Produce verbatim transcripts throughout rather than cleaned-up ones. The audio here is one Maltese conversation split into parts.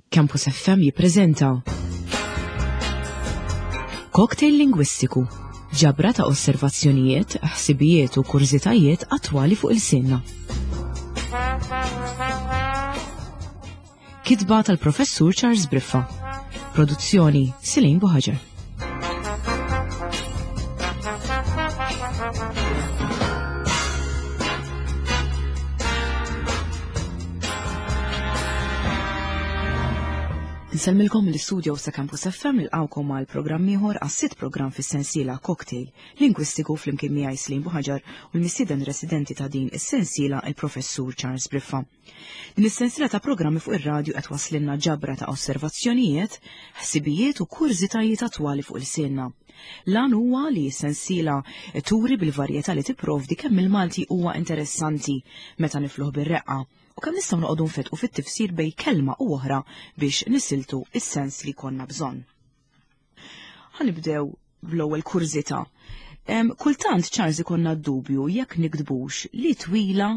Campus F M jippreżenta Cocktail Lingwistiku, ġabra ta' osservazzjonijiet, ħsibijiet u kurżitajiet attwali fuq il-sinna. Kitba tal-Professur Charles Briffa. Produzzjoni Silin Buħaġer. Nsellmilkom mill-istudio sa' Campus F M nilqgħukom għal programm ieħor għas-sitt programm fis-sensiela Cocktail Lingwistiku flimkien miegħi Slim Buħaġar u l-mistieden residenti ta' din is-sensiela il-Professur Charles Briffa. Din is-sensiela ta' programmi fuq ir-radju qed waslinna ġabra ta' osservazzjonijiet, ħsibijiet u kurżitajiet attwali fuq il-sinna. L-għan huwa li s-sensiela turi bil-varjetà li tipprovdi kemm il-Malti huwa interessanti meta nifluh bir-reqqa u kemm nistgħu noqogħdu nfetqu fit-tifsir bejn kelma u oħra biex nisiltu is-sens li konna bżonn. Ħanibdew bl-ewwel kurżità. Em, kultant Charles ikonna dubju jekk niktbux li twila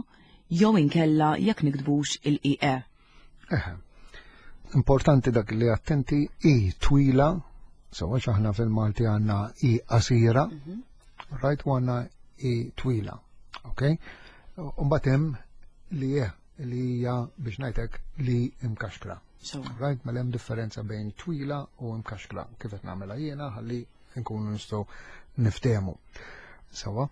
jew inkella jekk niktbux il-I E. Eħe. Importanti dak li attenti i twila, sewa aħna fil-Malti għandna i qasira, Mhm. right, u għandna i twila. Ok? U mbagħad hemm li e li hija biex ngħidlek li imkaxkra. Sewa. Right, mela hemm differenza bejn twila u imkaxkra. Kif qed nagħmilha jiena ħalli nkunu nistgħu niftehmu. Sewa.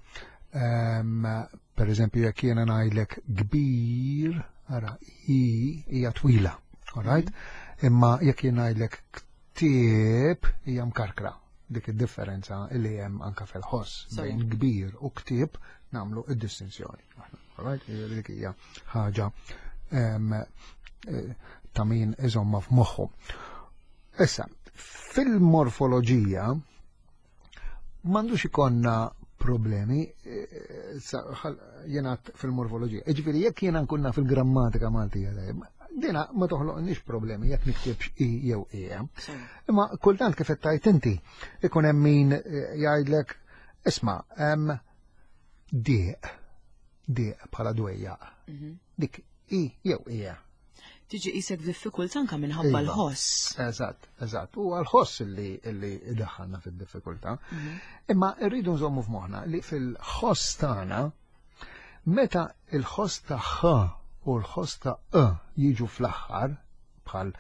Ehm, per eżempju, jekk jiena ngħidlek kbir, ara, i hija twila, all right? Mhm. Imma jekk jiena ngħidlek ktieb hija mkarkra. Dik id-differenza li hemm anka fil-ħoss Sorry. bejn kbir u ktieb nagħmlu id-distinzjoni. All right? Dik hija ħaġa, ehm, eh, ta' min iżomma f'moħħu. Issa, fil-morfoloġija m'għandux ikonna problemi, eh, sa, ħal-, jiena fil-morfoloġija. Jiġifieri jekk jiena nkunna fil-grammatika Maltija, dina ma toħloqniex problemi jekk niktibx i jew e. Sorry. Imma kultant kif qed tgħid inti, ikun hemm min, eh, jgħidlek, isma', hemm dieq, dieq bħala dwejjaq. Mhm. Dik i jew e. Tiġi qisek f'diffikultà anke minħabba Iva. l-ħoss. Eżatt, eżatt. U għall-ħoss illi, illi daħħalna fid-diffikultà. Mhm. Imma rridu nżommu f'moħħna li fil-ħoss tagħna, meta il-ħoss ta' ħ u l-ħoss ta' e jiġu fl-aħħar, bħal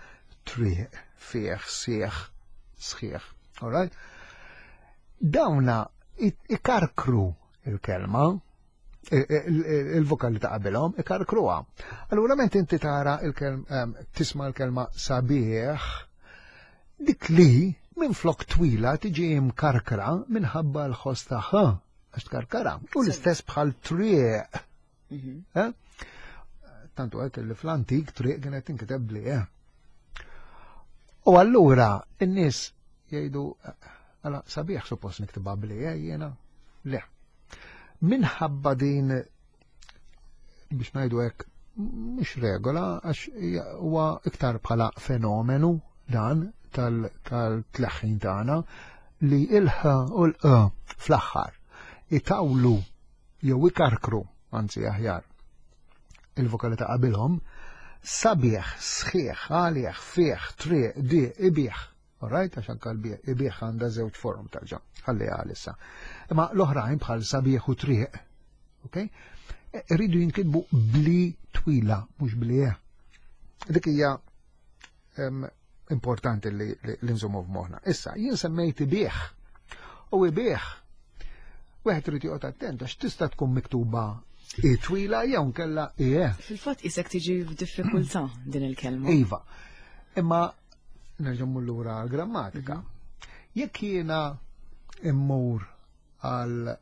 triq, fih, sieħ, sħiħ, all right? Dawna i-, ikarkru il-kelma, i-, i-, i-, il-vokali ta' qabilhom ikarkruha. Allura meta inti tara il-kelm-, ehm, tisma' l-kelma sabiħ, dik li minn flok twila tiġi imkarkra minħabba l-ħoss ta' ħ, għax tkarkara. U l-istess bħal triq. Mhm. Eh? Tantu għek li fl-antik triq kienet tinkiteb bli, eh? U allura n-nies jgħidu, għala sabiħ suppost niktibha bli, eh, jiena? Le. Minħabba din, biex ngħidu hekk, mhux regola, għax huwa iktar bħala fenomenu dan tal-, tal-tleħħin tagħna li il-ħ u l-q fl-aħħar itawlu jew ikarkru, anzi aħjar, il-vokali ta' qabilhom, sabiħ, sħiħ, għalih, fih, triq, di, ibih. All right, għax anka l-bieħ, ibih għandha żewġ forum tarġa', ħalli għalissa. Imma l-oħrajn bħal sabiħ u triq, ok? Irridu jinkitbu bli twila, mhux bli e. Dik hija, em, importanti li, li, li nżommu f'moħħna. Issa, jien semmejt ibih u ibih, wieħed irid joqgħod attent għax tista' tkun miktuba i twila jew nkella i e. Fil-fatt isek tiġi f'diffikultà din il-kelma. Iva. Imma nerġa' mmur lura għall-grammatika. Mhm. Jekk jiena immur għal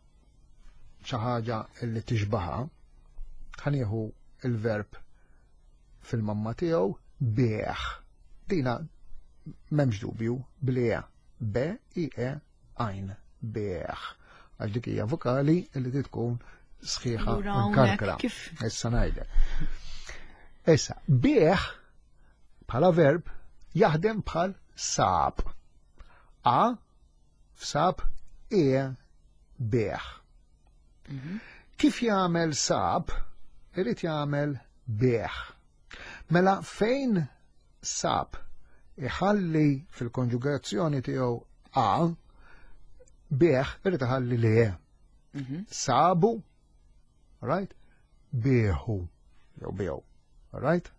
xi ħaġa li tixbaha, ħanieħu il-verb fil-mamma tiegħu bieħ. Dina m'hemmx dubju bli e. B I E għajn bieħ. Għax dik hija vokali li trid tkun sħiħa Allura hawnhekk mkarkra. kif? Issa ngħidlek. Issa, bieħ bħala verb jaħdem bħal sab. A f'sab e bieħ. Mhm. Kif jagħmel sab, irid jagħmel bieħ. Mela fejn sab iħalli fil-konġugazzjoni tiegħu a, bih irid iħalli li e. Mhm. Sabu, right? Biħu, jew biegħu, right?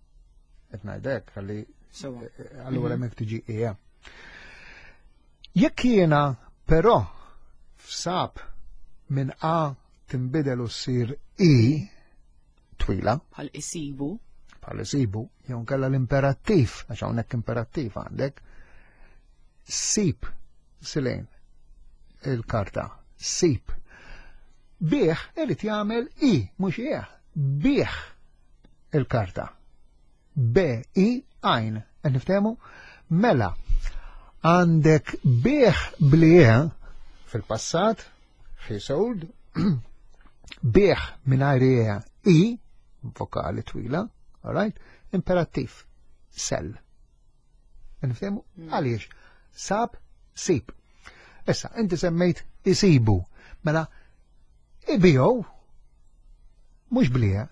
Qed ngħidlek ħalli Sewa. allura hemmhekk tiġi e. Jekk jiena però f'sab minn A tinbidel u ssir I twila, Bħal isibu. bħal isibu, jew nkella l-imperattiv, għax hawnhekk imperattiv għandek, sib silejn il-karta, sib. Bih irid jagħmel I, mhux ieħ, bih il-karta. B, I, għajn, qed niftehmu? Mela, għandek bih bli fil-passat, he sold, bih mingħajr E, I, vokali twila, all right? Imperattiv, sell. Niftehmu? Għaliex? Sab, sib. Issa, inti semmejt isibu. Mela, ibijow, mhux blija,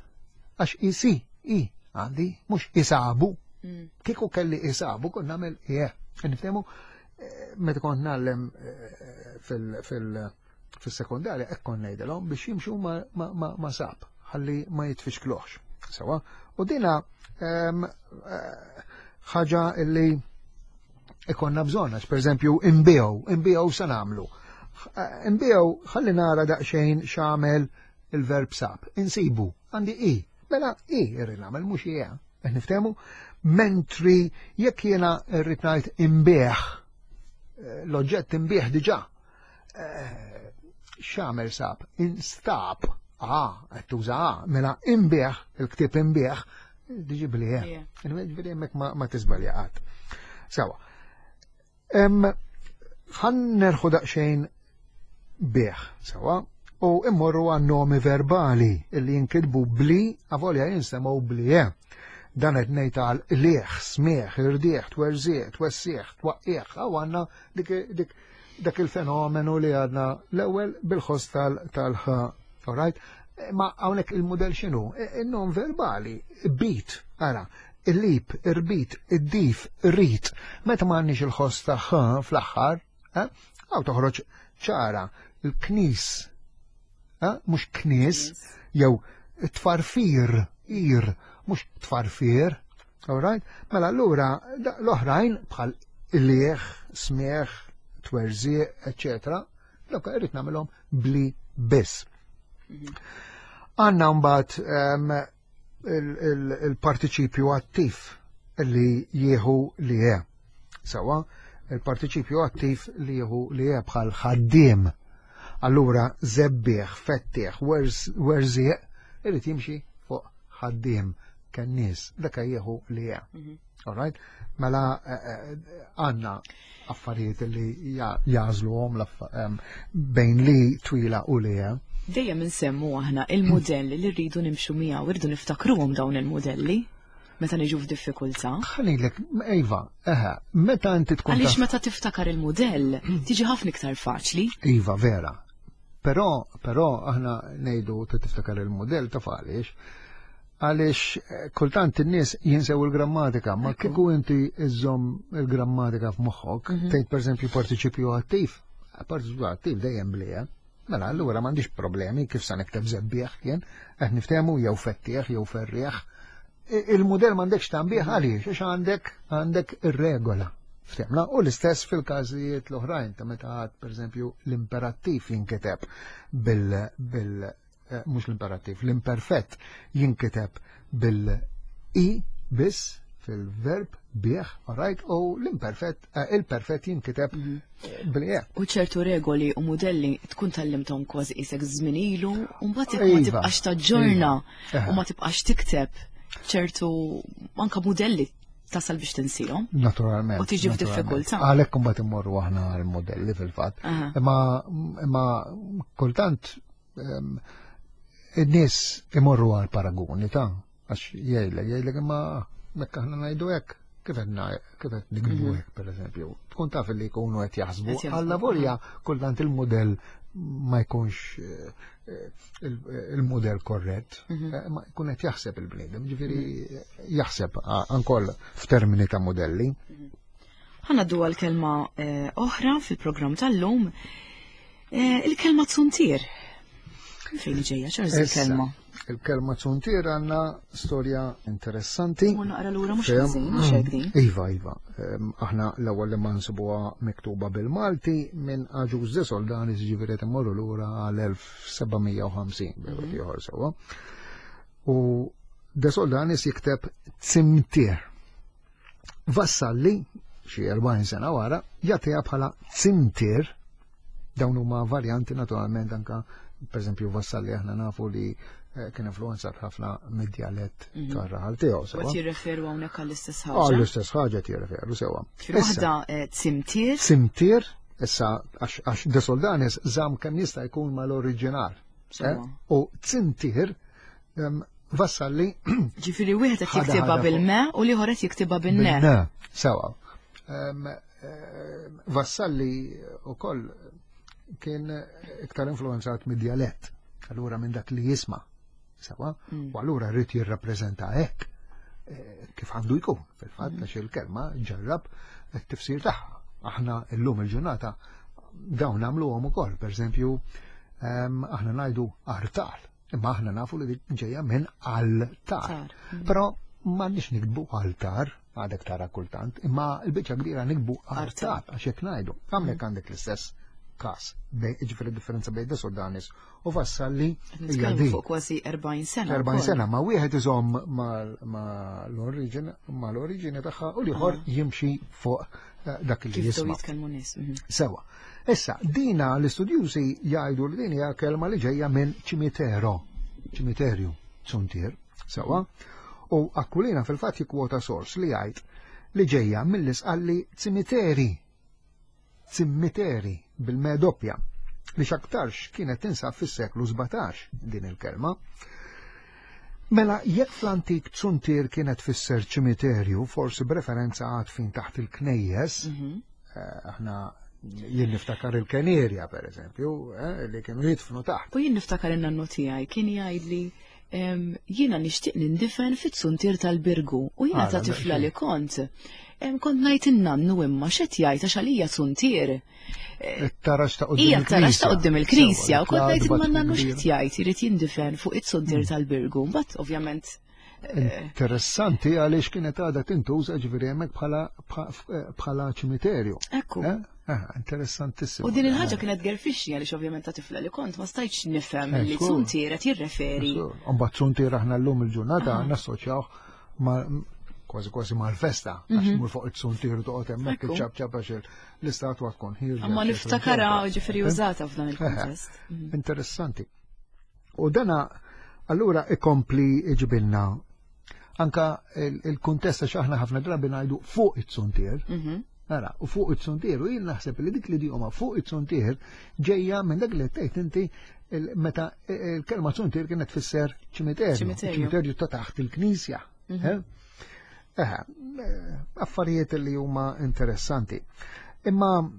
għax isi, i, għandi, mhux isabu. Mm. Kieku kelli isabu, kont nagħmel ie. Niftehmu, eh, meta kont ngħallem eh, fil- fil- fil-sekondarja, hekk kont ngħidilhom biex jimxu ma, ma, ma, ma sab, ħalli ma jitfixkluħx. Sewa, u dina em, eh, ħaġa illi ikonna bżonn, għax per eżempju, imbiegħu, imbiegħu sa nagħmlu. Eh, Imbiegħu, ħalli nara daqsxejn x'għamel il-verb sab. Insibu, għandi i, mela i irrid nagħmel mhux ie. Qed niftehmu? Mentri jekk jiena rrid ngħid imbieħ, eh, l-oġġett imbieħ diġà. Eh, X'għamel sab? Instab. Ah, qed tuża A, mela imbieħ, il-ktieb imbieħ, diġi bli E. Yeah. Ġifieri hemmhekk ma, ma tiżbalja qatt. Sewa. Em, ħan nerħu daqsxejn bih, sewa, u immorru għan nomi verbali illi jinkitbu bli, avolja jinsemgħu bli e. Dan qed ngħid għal liħ, smieħ, irdieħ, twerżieħ, twessieħ, twaqqieħ, għaw għandna dik, dik, dak il-fenomenu li għadna l-ewwel bil-ħoss tal-ħ, all right? Ma hawnhekk il-modell x'inhu? Il-nom verbali, bit, ara, il-lip, irbit, id-dif, rit. Meta m'għandniex il-ħoss ta' ħ fl-aħħar, eh, għaw toħroġ ċara, il-knis, eh, mhux knis, jew tfarfir, ir, mhux tfarfir, all right? Mela allura da- l-oħrajn bħal il-lieħ, smieħ, twerżieq, eccetera, dawk irrid nagħmilhom bli biss. Għanna mbagħad em, il- il- il-partiċipju attiv li jieħu li je. Sewa, il-partiċipju attiv li jieħu li je bħal ħaddiem. Allura zebbieħ, fettieħ, werz- werżieq, irid jimxi fuq ħaddiem kennies, dak jieħu li je. Mhm. All right? Mela eh, eh, għanna affarijiet li ja- jażluhom l-affa- em, bejn li twila u li je. Dejjem insemmu aħna il-modelli li rridu nimxu miegħu, rridu niftakruhom dawn il-modelli meta niġu f'diffikultà. Ħanilek, Iva, eħe, meta inti tkun Għaliex taf- meta tiftakar il-modell tiġi ħafna iktar faċli. Iva, vera. Però, però aħna ngħidu ta' tiftakar il-modell ta' għaliex. Għaliex eh, kultant in-nies jinsew il-grammatika, ma Ekku. kieku inti iżżomm il-grammatika f'moħħok, Mhm. tgħid pereżempju partiċipju attiv, partiċipju attiv dejjem blija. Mela allura m'għandix problemi kif sa nikteb zebbieħ jien, qed niftehmu jew fettieħ jew ferrieħ. I- Il-modell m'għandekx tambieħ għaliex, għax għandek għandek ir-regola. Ftehmna, u l-istess fil-każijiet l-oħrajn ta' meta għad pereżempju l-imperattiv jinkiteb bil bil eh, mhux l-imperattiv, l-imperfett jinkiteb bil-i biss fil-verb bieħ, alright, u l-imperfett, eh, il-perfett jinkiteb bil-e. U ċertu regoli u modelli tkun tallimthom kważi isek żmien ilu, u mbagħad jekk ma Iva, tibqax taġġorna iva. u ma tibqax tikteb ċertu anka modelli tasal biex tinsihom. Naturalment. U tiġi naturalment. f'diffikultà. Għalhekk imbagħad immorru aħna għall-modelli fil-fatt. Aha. Imma imma kultant em, in-nies imorru għal paragoni ta' għax jgħidlek jgħidlek imma mekk aħna ngħidu hekk kif qed ngħid- kif qed nikbu hekk pereżempju. Tkun taf li jkunu qed jaħsbu Qed jaħsbu, alla volja kultant il-modell ma jkunx eh, eh, il- il-modell korrett, eh, ma jkun qed jaħseb il-bniedem, ġifieri jaħseb a- ankoll f'termini ta' modelli. Ħa ngħaddu għal kelma eh, oħra fil-programm tal-lum, eh, il-kelma zuntier. Fejn ġejja, Charles, il-kelma? Il-kelma zuntier għandna storja interessanti. Mu naqra lura mhux ħażin, mhux hekk din. Iva, iva. Aħna l-ewwel li ma nsibuha miktuba bil-Malti minn Agius de Soldanis, ġifieri qed immorru lura għal elf seba' mija u ħamsin, bejn ieħor sewwa. U de Soldanis jikteb Zimtier. Vassalli, xi erbgħin sena wara, jagħtiha bħala Zimtier. Dawn huma varjanti naturalment anka, per eżempju, Vassalli aħna nafu li kien influenzat ħafna mid-djalett Mhm. tar-raħal tiegħu, U sewwa. qed jirreferu hawnhekk għall-istess ħaġa. Għall-istess ħaġa qed jirreferu, sewwa. Ġifieri waħda, eh, Zimtier. Zimtier, issa għax, għax de Soldanis żamm kemm jista' jkun mal-oriġinal. Sewwa. Eh? U Zimtier, em, Vassalli Ġifieri wieħed qed ħada jiktibha ħada fuq. bil-me u l-ieħor qed jiktibha bin-ne. Bil-ne, sewwa. Em, em, Vassalli wkoll kien iktar influenzat mid-djalett, allura minn dak li jisma'. Sewwa, Mm. u allura rrid jirrappreżenta hekk, eh, kif għandu jkun, fil-fatt, Mm. għax il-kelma ġarrab it-tifsir tagħha. Aħna llum il-ġurnata dawn nagħmluhom ukoll, pereżempju, ehm, aħna ngħidu artal, imma aħna nafu li dik ġejja minn altar. Tar. Mm. Però m'għandniex nikbu altar, għadek tara kultant, imma l-biċċa kbira nikbu Artal. artal, għax hekk ngħidu. Hawnhekk għandek l-istess każ, bej, ġifieri differenza bejn de Soldanis u Vassalli Qed hija nitkellmu din. fuq kważi erbgħin sena erbgħin wkoll. sena, ma wieħed iżomm mal-oriġine, mal-oriġine tagħha u l-ieħor Ah. jimxi fuq, eh, dak li Kif daw jisma'. jitkellmu nies. Mhm. Sewa. Issa, dina l-istudjużi jgħidu li din hija kelma li ġejja minn ċimitero, ċimiterju, zuntier, sewa. U Aquilina fil-fatt jikkwota sors li jgħid li ġejja mill-isqalli ċimiteri, ċimiteri bil-me doppja, li x'aktarx kienet tinsab fis-seklu sbatax din il-kelma. Mela, jekk fl-antik zuntier kienet fisser ċimiterju, forsi b'referenza għad fin taħt il-knejjes, Mhm. eh, aħna jien niftakar il-Kenerja, per eżempju, eh, li kienu jidfnu taħt. U jien niftakar in-nannu tiegħi kien jgħidli, em, jiena nixtieq nindifen fit-zuntier tal-Birgu u jiena Ah, ta' la, tifla xi. li kont. Em, kont ngħid in-nannu imma x'qed jgħid għax għalija zuntier. It-taraġ ta' quddiem Hija t-taraġ ta' il-knisja. quddiem il-knisja, Sewa, u kont ngħid imma l-adba n-nannu tkun x'qed jgħid, irid jindifen fuq it-zuntier Hmm. tal-Birgu. Mbagħad ovvjament, eh, Interessanti għaliex kienet għadha tintuża ġifieri hemmhekk bħala, bħa-, bħala ċimiterju. Ekku. Eh? Eh, interessantissimo. U din il-ħaġa kienet gerfixni għaliex ovvjament ta' tifla li kont ma stajtx nifhem Eh, li żgur. zuntier qed jirreferi. Żgur. U mbagħad zuntier aħna llum il-ġurnata Ah. nassoċjaw ma' kważi kważi mal-festa, għax Mhm. mur fuq it-zuntier toqgħod hemmhekk Ekku. iċċabċab għax il-, l-istatwa tkun ħierġa, Ma eċetera, niftakara eċetera. ġifieri Eh? użata f'dan Eh, il-kuntest. Mhm. Interessanti. U dana allura ikompli iġibilna anka il-, il-kuntest għax aħna ħafna drabi ngħidu fuq it-zuntier. Mhm. Nara, u fuq it-zuntier, u jien naħseb li dik l-idjoma fuq it-zuntier ġejja minn dak li tgħid inti il-, meta il-kelma zuntier kienet tfisser ċimiterju. Ċimiterju. Ċimiterju ta' taħt il-knisja. Mhm. Eh? Eh, affarijiet li huma interessanti. Imma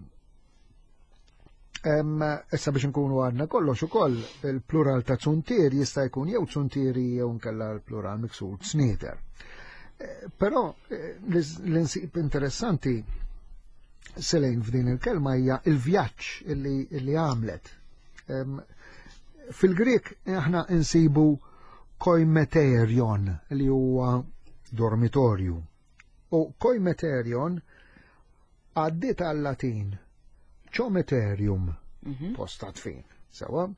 em, issa biex nkunu għadna kollox ukoll il-plural ta' zuntier jista' jkun jew zuntieri jew nkella l-plural miksur snieter. Eh, però, eh, l-insib interessanti Selejn f'din il-kelma hija il-vjaġġ illi, illi għamlet. Em, Fil-Grek aħna insibu koimeterion li huwa dormitorju. U koimeterion għaddit għal-Latin ċometerium, Mhm. post ta' tfin, sewa,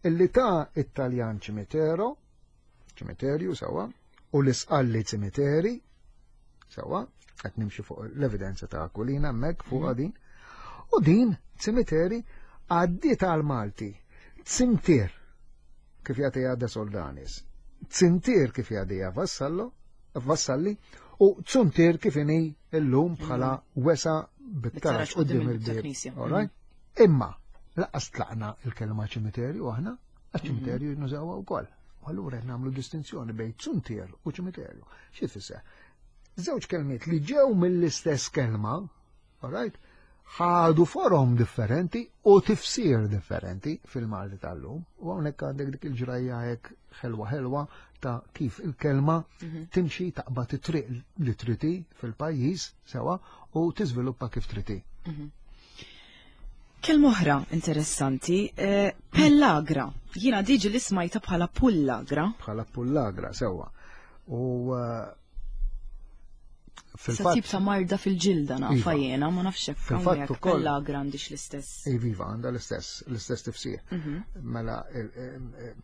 illi ta' Italjan ċimitero, ċimiterju, sewa, u l-isqalli ċimiteri, sewa, qed nimxi fuq l-evidenza ta' Aquilina hemmhekk fuq Mhm. din, u din ċimiteri għaddiet għal Malti, ċimtier, kif jagħtiha De Soldanis, ċimtier kif jagħtiha Vassallo, Vassalli, u ċuntier kif inhi illum bħala wesa bit-taraġ Bit-taraġ quddiem quddiem il-bieb. il-knisja. All right? Imma, laqas tlaqna il-kelma ċimiterju aħna, għax ċimiterju nużawha wkoll. U allura qed nagħmlu distinzjoni bejn ċuntier u ċimiterju. Xi tfisser? Żewġ kelmiet li ġew mill-istess kelma, all right? Ħadu forom differenti u tifsir differenti fil-Malti tal-lum. U hawnhekk għandek dik il-ġrajja hekk ħelwa ħelwa ta' kif il-kelma Mhm. timxi, taqbad it-triq li trid hi fil-pajjiż sewa u tiżviluppa kif trid hi. Kelma oħra interessanti, eh, pellagra. Jiena diġi li smajta bħala pullagra. Bħala pullagra, sewa. U eh, Sa fil-fatt tip ta' marda fil-ġilda nafa Iva. jiena, ma nafx hekk Fil-fatt hawnhekk ukoll- pellagra għandix l-istess. Iva, għandha l-istess, l-istess tifsir. Mhm. Mela, il- il-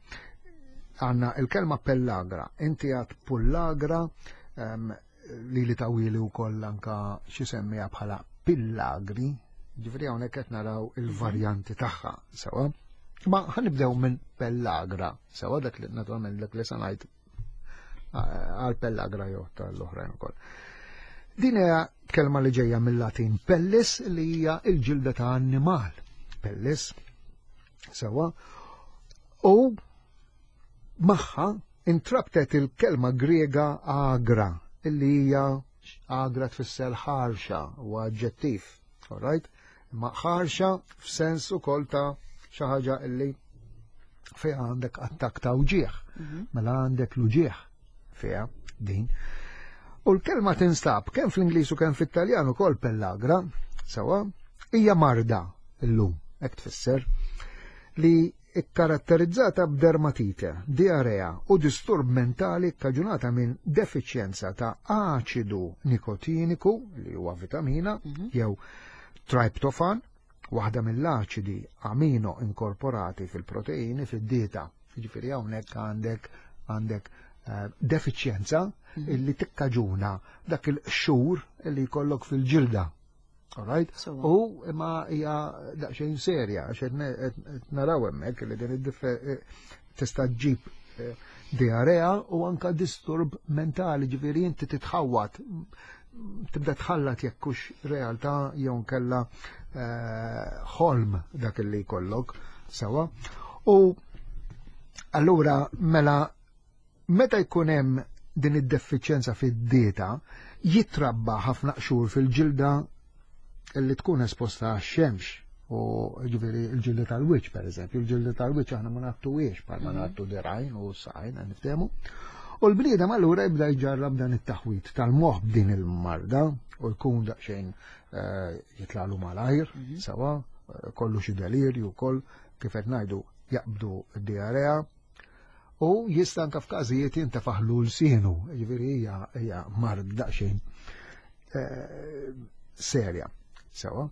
għandna il-kelma pellagra, inti għedt pullagra, em, li li tawili u koll anka xi semmija bħala pillagri, ġifieri hawnhekk qed naraw il-varjanti tagħha, sewa. Ma ħa nibdew minn pellagra, sewa, dak li naturalment dak li se ngħid għal pellagra jew tal-oħrajn ukoll. Din hija kelma li ġejja mill-Latin pellis, li hija il-ġilda ta' annimal. Pellis, sewa. U magħha intrabtet il-kelma Griega agra, illi hija agra tfisser ħarxa u aġġettiv, all right? Ma ħarxa f'sens ukoll ta' xi ħaġa illi fiha għandek attak ta' uġieħ, Mhm. mela għandek l-uġieħ fiha din. U l-kelma tinstab kemm fl-Ingliż u kemm fit-Taljan ukoll pellagra, sewa, hija marda illum, hekk tfisser, li ikkaratterizzata b'dermatite, diarea u disturb mentali kkaġunata minn defiċjenza ta' aċidu nikotiniku, li huwa vitamina, Mhm. jew triptofan, waħda mill-aċidi amino inkorporati fil-proteini fid-dieta. Ġifieri hawnhekk għandek għandek eh, defiċjenza Mhm. illi tikkaġuna dak il-qxur illi jkollok fil-ġilda. All right? Sewa. U imma hija daqsxejn serja, għax qed ne- qed qed naraw hemmhekk li din id-diffe- eh, tista' ġġib eh, diarea u anka disturb mentali, ġifieri inti titħawat, tibda tħallat jekk hux realtà jew nkella eh, ħolm dak li jkollok sewa. U allura mela meta jkun hemm din id-defiċjenza fid-dieta, jitrabba ħafna qxur fil-ġilda li tkun esposta għax-xemx, u ġifieri il-ġilda tal-wiċċ, per eżempju, il-ġilda tal-wiċċ aħna ma ngħattuhiex bħal ma Mhm. ngħattu dirgħajn u saqajn, niftehmu. U l-bniedem allura jibda jġarrab dan it-taħwit tal-moħħ b'din il-marda u jkun daqsxejn eh, jitlalu malajr, Mhm. sewa, eh, kollu xi delirju wkoll, kif qed ngħidu, jaqbdu d-diarea u jista' anke f'każijiet jintefaħlu lsienu, ġifieri hija hija mard daqsxejn eh, serja. Sewa.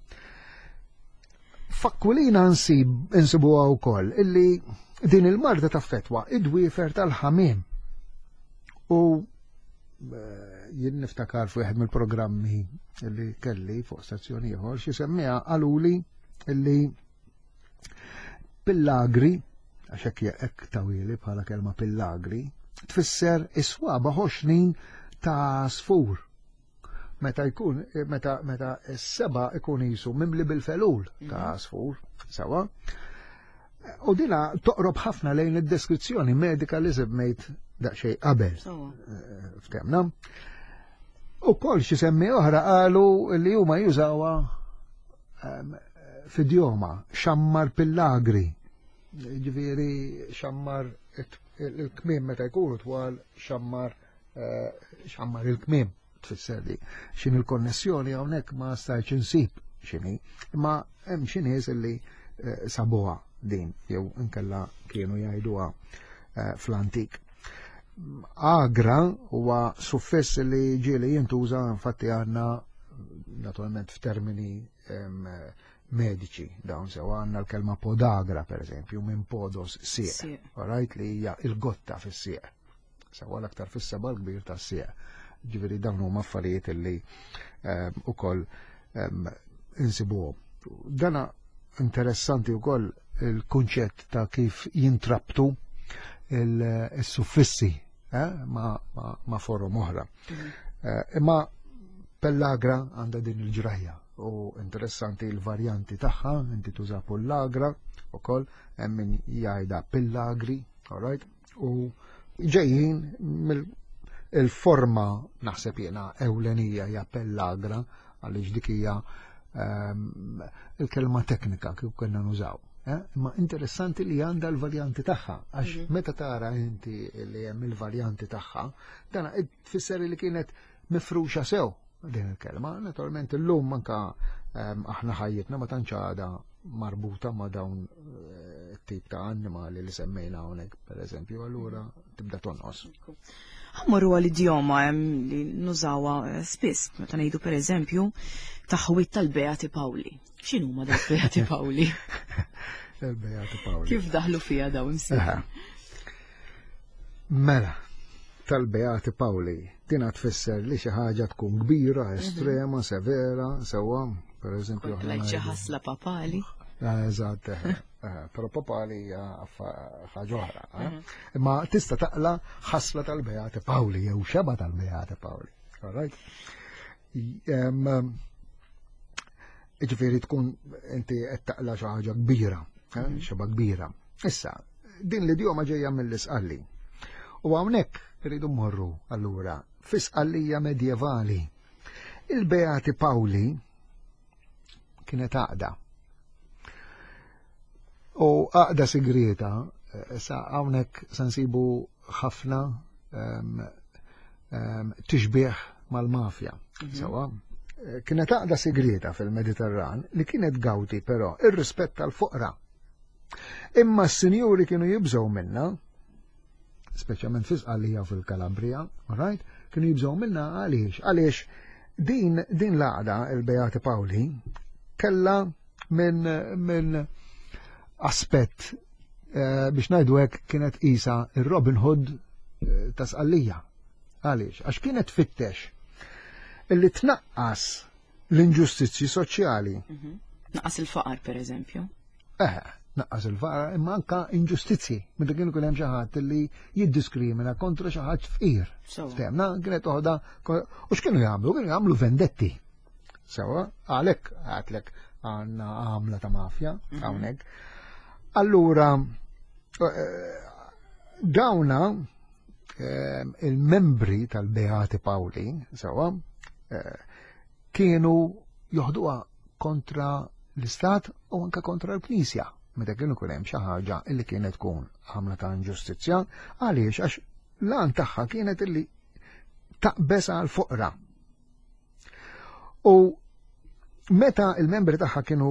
F'Akwilina nsib insibuha wkoll illi din il-marda taffetwa id-dwiefer tal-ħamiem. U eh, jien niftakar fuq wieħed mill-programmi illi kelli fuq stazzjoni ieħor, xi semmiha qaluli illi pillagri, għax hekk hekk tawili bħala kelma pillagri, tfisser is-swaba ħoxnin ta' għasfur. Meta jkun, meta meta s-seba ikun jisu mimli bil-felul ta' għasfur, sewa. U dina toqrob ħafna lejn id-deskrizzjoni medika li semmejt daqsxejn qabel. Sewa. Ftemna. U kol xi semmi oħra qalu li huma jużawha em, f'idjoma, xammar pillagri. Ġifieri xammar it- il-kmiem meta jkunu twal, xammar eh, xammar il-kmiem tfisser li xin il-konnessjoni hawnhekk ma stajtx insib x'inhi, imma hemm xi nies illi eh, sabuha din jew inkella kienu jgħiduha eh, fl-antik. Agra huwa suffiss li ġieli jintuża, infatti għandna naturalment f'termini em, mediċi dawn, sew, għandna l-kelma podagra, per eżempju, minn podos, sieq, Sieq. right, li hija il-gotta fis-sieq. Sewa, l-aktar fis-seba l-kbir tas-sieq. Ġifieri dawn huma affarijiet li em, ukoll em, insibuhom. Dana interessanti wkoll il-kunċett ta' kif jintrabtu il-suffissi eh, ma, ma, ma forom oħra. Mhm. Eh, Imma pellagra għandha din il-ġrajja u interessanti il-varjanti tagħha, inti tuża pullagra ukoll, hemm min jgħidha pillagri, all right? U ġejjin mill il-forma naħseb jiena ewlenija hija pellagra, għaliex dik hija ehm, il-kelma teknika kif konna nużaw. Eh? Imma interessanti li għandha l-varjanti tagħha, għax Mhm. meta tara inti li hemm il-varjanti tagħha, dana tfisser li kienet mifruxa sew din il-kelma. Naturalment illum anka ehm, aħna ħajjitna ma tantx għadha marbuta ma' dawn eh, tip ta' annimali li semmejna hawnhekk, pereżempju, allura tibda tonqos. Ħa mmorru għal-idjoma hemm li nużawha eh, spiss, meta ngħidu pereżempju taħwit tal-Beati Pawli. X'inhuma dawk Beati Pawli? Il-Beati Pawli. Kif daħlu fiha dawn imsieħ? Eħe. Mela, tal-Beati Pawli, dina tfisser li xi ħaġa tkun kbira, estrema, severa, sewwa, per eżempju. Kont aħna lajt xi ngħidu- ħasla papali. Eh, Eżatt, eħe, eħe, però papali hija affa- ħaġa oħra. eh. Imma tista' taqla ħasla tal-Beati Pawli jew xeba tal-Beati Pawli. All right? Em, Ġifieri tkun inti qed taqla xi ħaġa kbira, eh, xeba kbira. Issa, din l-idjoma ġejja mill-Isqalli. U hawnhekk irridu mmorru allura fi Sqallija medjevali. Il-Beati Pawli kienet għaqda. U għaqda sigrieta, eh, sa hawnhekk se nsibu ħafna em, em, tixbih mal-mafja. Sewwa, Eh, kienet għaqda sigrieta fil-Mediterran li kienet gawti però ir-rispett tal-foqra. Imma s-sinjuri kienu jibżgħu minna, speċjalment fi Sqallija u fil-Kalabria, all right? Kienu jibżgħu minna għaliex? Għaliex din, din l-għaqda, il-Beati Pawli, kella minn min aspett eh, biex ngħidu hekk kienet isa il-Robin Hood eh, ta' Sqallija. Għaliex? Għax kienet tfittex illi tnaqqas l-inġustizzji soċjali. Naqqas il-faqar pereżempju. Eh, naqqas il-faqar imma anka inġustizzi. Meta kienu kien hemm xi ħadd li jiddiskrimina kontra xi ħadd fqir. Sewwa. Ftemna, kienet toħda, u x'kienu jagħmlu? Kienu jagħmlu vendetti. Sewwa, għalhekk għedtlek għandna għamla ta' mafja hawnhekk. Allura, eh, dawna eh, il-membri tal-Beati Pawli, sewwa, eh, kienu joħduha kontra l-Istat u anka kontra l-Knisja. Meta kienu kun hemm xi ħaġa illi kienet tkun għamla ta' inġustizzja, għaliex għax l-għan tagħha kienet illi taqbeż għal foqra. U meta il-membri tagħha kienu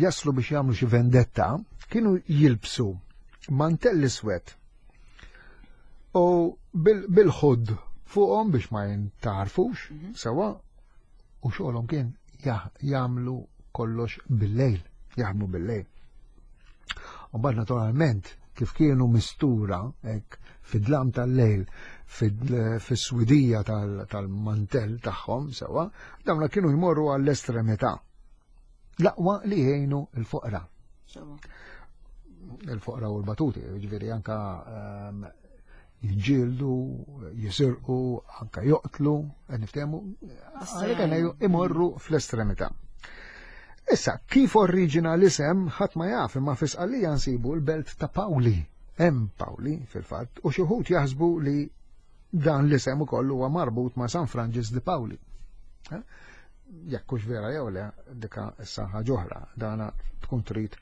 jaslu biex jagħmlu xi vendetta, kienu jilbsu mantell iswed u bil-hood fuqhom biex ma jintarfux, sewwa, u xogħolhom kien jagħmlu kollox bil-lejl, jaħdmu bil-lejl. U mbagħad naturalment kif kienu mistura hekk fid-dlam tal-lejl fis-swidija tal-mantell tagħhom sewwa, dawna kienu jmorru għall-estremità. L-aqwa li jgħinu l-foqra. Il-foqra u l-batuti, ġifieri anka ehm, jiġġieldu, jisirqu, anka joqtlu, niftehmu, għalhekk imorru fl-estremità. Issa, kif oriġina l-isem, ħadd ma jaf, imma fi Sqallija nsibu l-belt ta' Pauli, hemm Pauli fil-fatt, u xi wħud jaħsbu li dan l-isem ukoll huwa marbut ma' San Franġis di Pauli. Eh? Jekk hux vera jew le, dika issa ħaġa oħra, dana tkun trid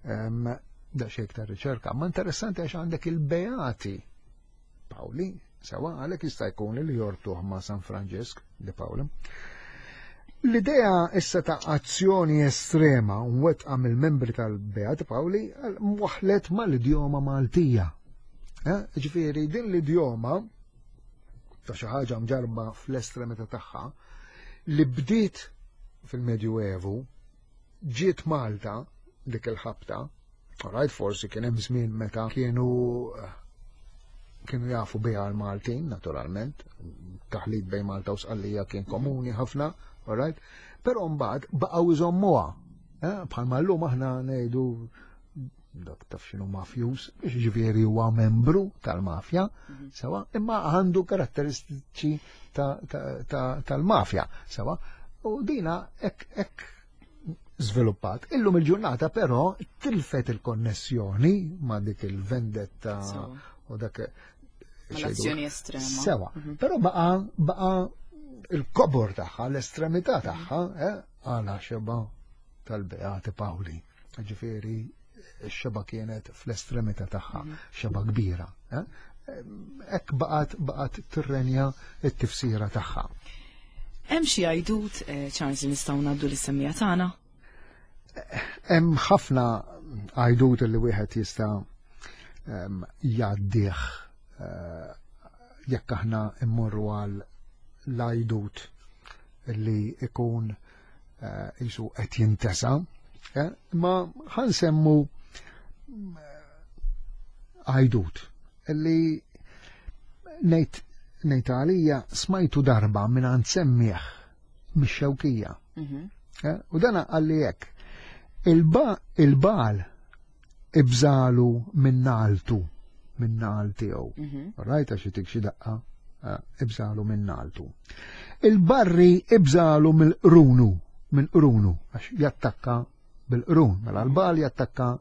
daqsxejn iktar riċerka. Ma interessanti għax għandek il-Beati Pauli, sewwa għalhekk jista' jkun li jorbtuh ma' San Franġisk di Pauli. L-idea issa ta' azzjoni estrema mwettqa mill-membri tal-Beati Pauli waħlet mal-idjoma Maltija. Eh, ġifieri din l-idjoma ta' xi ħaġa mġarba fl-estremità tagħha li bdiet fil-Medjuevu ġiet Malta dik il-ħabta, alright, forsi kien hemm żmien meta kienu kienu jafu biha l-Maltin, naturalment, taħlit bejn Malta u Sqallija kien komuni ħafna, alright, però mbagħad baqgħu jżommuha. Eh, bħalma llum aħna ngħidu dak taf x'inhu mafjus, biex ġifieri huwa membru tal-mafja, mhm. sewwa, imma għandu karatteristiċi tal-mafja, sewwa, u dina hekk hekk żviluppat. Illum il-ġurnata però tilfet il-konnessjoni ma' dik il-vendetta u dak l-azzjoni estrema. Sewwa, mhm. però baqa baqa il-kobor tagħha, l-estremità tagħha, eh, għala xeba tal-Beati Pawli. Ġifieri x-xeba kienet fl-estremità tagħha, xeba kbira. Hekk baqgħet baqgħet tirrenja t-tifsira tagħha. Hemm xi għajdut, Charles, li nistgħu ngħaddu lis-semmija tagħna? Hemm ħafna għajdut li wieħed jista' jgħaddih jekk aħna mmorru għal l-għajdut li ikun jisu qed jintesa, ma ħansemmu għajdut li ngħid ngħid għalija smajtu darba minn għand semmieħ mix-Xewkija. U dana qalli hekk, il-bal ibżalu minn naltu, minn nal tiegħu. Rajta xi tik xi daqqa, ibżalu minn naltu. Il-barri ibżalu mill-qrunu, minn qrunu, għax jattakka bil-qrun, mela l-bal jattakka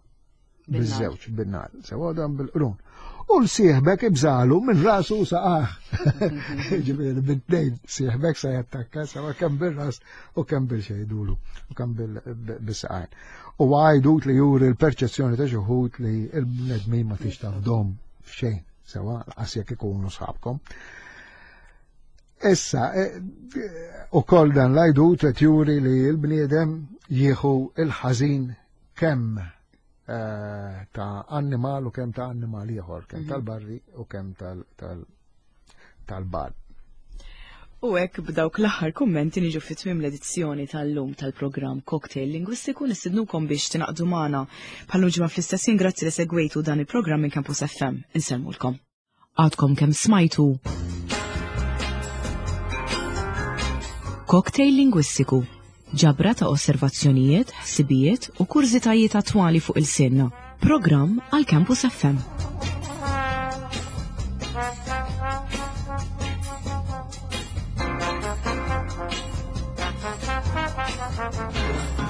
biż-żewġ, bin-nar, sewa dan bil-qrun. U l-sieħbek ibżalu minn rasu saqah. Ġifieri bit-tnejn sieħbek sa jattakka sewa kemm bir-ras u kemm bil-xejdulu u kemm bil-saqajn. U għajdut li juri l-perċezzjoni ta' xi wħud li l-bnedmin ma tix tafdhom f'xejn, sewa lanqas jekk ikunu sħabkom. Issa, u koll dan l-għajdut qed juri li l-bniedem jieħu il-ħażin kemm ta' annimal u kemm ta' annimal ieħor, kemm tal-barri u kemm tal-bal. U hekk b'dawk l-aħħar kummenti niġu fi tmiem l-edizzjoni tal-lum tal-programm Cocktail Lingwistiku. Nistidnukom biex tingħaqdu magħna bħal ġimgħa fl-istess ħin. Grazzi li segwejtu dan il-programm minn Campus F M. Insellmulkom. Għadkom kemm smajtu Cocktail Lingwistiku, ġabra ta' osservazzjonijiet, ħsibijiet u kurżitajiet attwali fuq il-sinna. Programm għal Campus F M. Thank you.